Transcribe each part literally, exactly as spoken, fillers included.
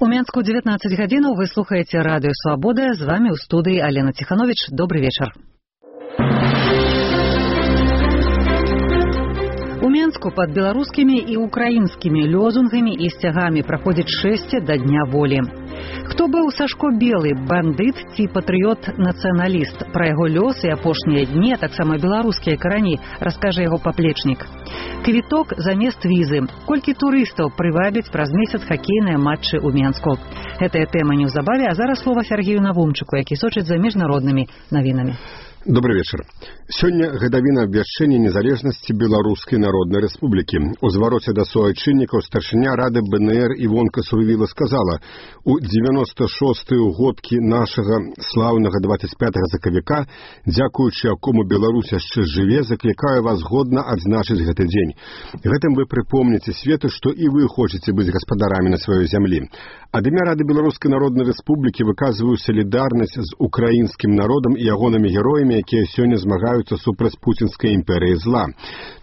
У Менску девятнадцать гадзінаў, вы слухаеце радыё Свабода, з вами ў студыі Алена Ціхановіч. Добрый вечар. У Менску под беларускімі і украінскімі лозунгамі і сцягамі праходзіць шэсце да Дня волі. Хто быў Сашко Белы, бандыт ці патрыёт-нацыяналіст? Пра яго лёс і апошнія дні, а таксама беларускія карані, раскажа яго паплечнік. Квіток замест візы. Колькі турыстаў прывабіць праз месяц хакейныя матчы ў Менску? Гэтая тэма неўзабаве, а зараз слова Сергею Навумчыку, які сочыць за міжнароднымі навінамі. Добрый вечер. Сёння гадавіна абвяшчэння незалежнасці Беларускай Народнай Рэспублікі. У звароце да суайчыннікаў старшыня Рады БНР Івонка Сурвіла сказала: у дзевяноста шостыя годкі нашага слаўнага дваццаць пятага сакавіка, дзякуючы якому Беларусь яшчэ жыве, заклікаю вас годна адзначыць гэты дзень. Гэтым вы прыпомніце свету, што і вы хочаце быць гаспадарамі на сваёй зямлі. Ад імя Рады Беларускай Народнай Рэспублікі выказваю салідарнасць з украінскім народам і ягонымі героямі, якія сёння змагаюцца супраць пуцінскай імперыі зла.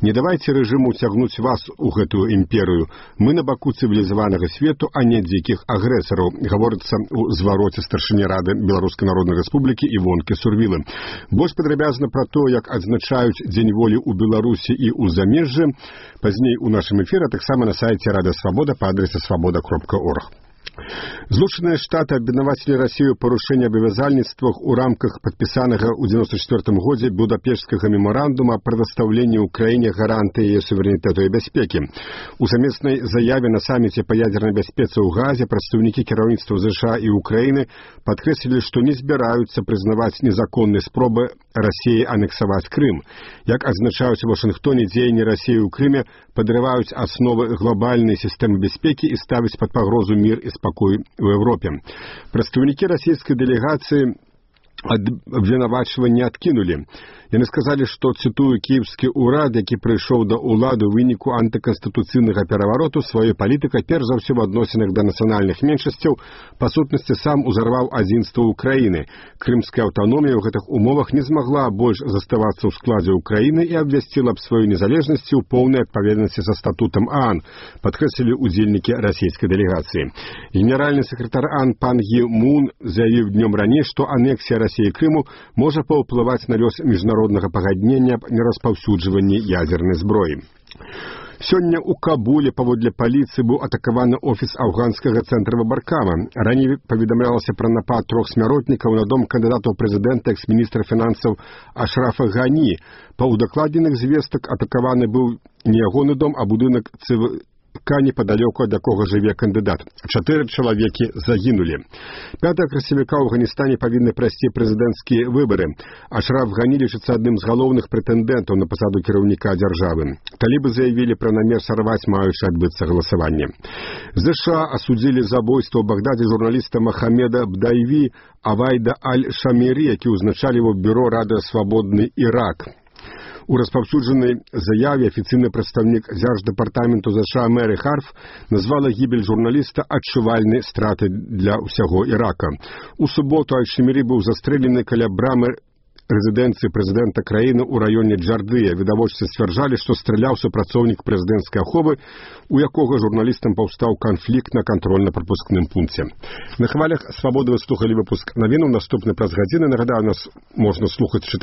Не давайце рэжыму цягнуць вас у гэтую імперыю. Мы на баку цывілізаванага свету, а не дзікіх агрэсараў, гаворыцца ў звароце старшыні Рады Беларускай Народнай Рэспублікі Івонкі Сурвілы. Больш падрабязна пра то, як адзначаюць Дзень волі ў Беларусі і ў замежжы, пазней у нашым эфіры, таксама на сайце Радыё Свабода па адрасе свабода кропка орг. Злучаныя Штаты абвінавацілі Расію ў парушэнні абавязальніцтвах у рамках падпісанага ў дзевяноста чвёртым годзе Будапешцкага мемарандума аб прадастаўленні ўкраіне гарантыі яе суверэнітэту і бяспекі. У сумеснай заяве на саміце па ядзернай бяспецы ў Газе прадстаўнікі кіраўніцтва ЗША і Украіны падкрэслілі, што не збіраюцца прызнаваць незаконнай спробы Расіі анексаваць Крым. Як адзначаюць у Вашынгтоне, дзеянні Расіі ў Крыме падрываюць асновы глобальнай сістэмы бяспекі і ставяць пад пагрозу мір і спакой у Европе. Прадстаўнікі расійскай дэлегацыі абвінавачванне адкінулі. Яны сказалі, што, цытую, кіеўскі ўрад, які прыйшоў да ўлады ў выніку антыканстытуцыйнага перавароту, сваёй палітыкай перш за ўсё в адносінах да нацыянальных меншасцяў, па сутнасці сам узарваў адзінства ўкраіны. Крымская аўтаномія ў гэтых умовах не змагла больш заставацца ў складзе ўкраіны і абвясціла аб сваёй незалежнасці ў поўнай адпаведнасці са статутам ААН, падкрэслілі ўдзельнікі расійскай дэлегацыі. Генеральны сакратар ААН пан Гі Мун заявіў днём раней, што анексія Расіі Крыму можа паўплываць на лёс міжнароднага пагаднення аб нераспаўсюджванні ядзернай зброі. Сёння ў Кабуле паводле паліцыі быў атакаваны офіс афганскага цэнтра Баркама. Раней паведамлялася пра напад трох смяротнікаў на дом кандыдата ў прэзідэнта экс-міністра фінансаў Ашрафа Гані. Па ўдакладненых звестак атакаваны быў не ягоны дом, а будынак цв... непадалёку ад якога жыве кандыдат. Чатыры чалавекі загінулі. пятага красавіка ў Афганістане павінны прайсці прэзідэнцкія выбары. Ашраф Гані лічыцца адным з галоўных прэтэндэнтаў на пасаду кіраўніка дзяржавы. Талібы заявілі пра намер сарваць маючы адбыцца галасаванне. ЗША асудзілі забойства ў Багдадзе журналіста Махамеда Бдайві Авайда Аль-Шамірі, які ўзначаліваў бюро Радыё Свабодны Ірак. У распаўсюджанай заяве афіцыйны прадстаўнік дзярждэпартаменту ЗША Мэры Харф назвала гібель журналіста адчувальнай страты для ўсяго Ірака. У суботу Аль-Шамірі быў застрэлены каля брамы рэзідэнцыі прэзідэнта краіны ў раёне Джардыя. Відавочцы сцвярджалі, што страляў супрацоўнік прэзідэнцкай аховы, у якога журналістам паўстаў канфлікт на кантрольна-прапускным пункце. На хвалях Свабоды вы слухалі выпуск навінаў. Наступны праз гадзіны. Нагадаю, нас можна слухаць, чытаць